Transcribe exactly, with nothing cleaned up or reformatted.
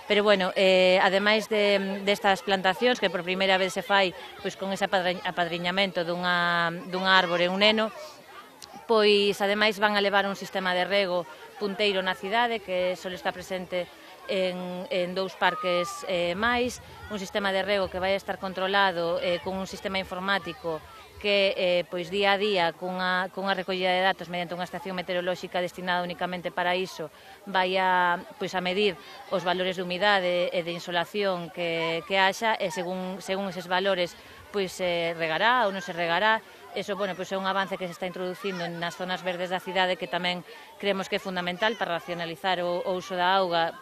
Pero, bueno, eh, ademais de, destas plantacións, que por primeira vez se fai pois, con ese apadriñamento dunha, dunha árbore e un neno, pois ademais van a levar un sistema de rego punteiro na cidade que só está presente en, en dous parques eh, máis, un sistema de rego que vai estar controlado eh, con un sistema informático que eh, pois día a día cunha, cunha recollida de datos mediante unha estación meteorolóxica destinada únicamente para iso vai a, pois, a medir os valores de humidade e de insolación que, que haxa e según, según eses valores pois se regará ou non se regará. Eso, bueno, pois é un avance que se está introducindo nas zonas verdes da cidade que tamén creemos que é fundamental para racionalizar o, o uso da auga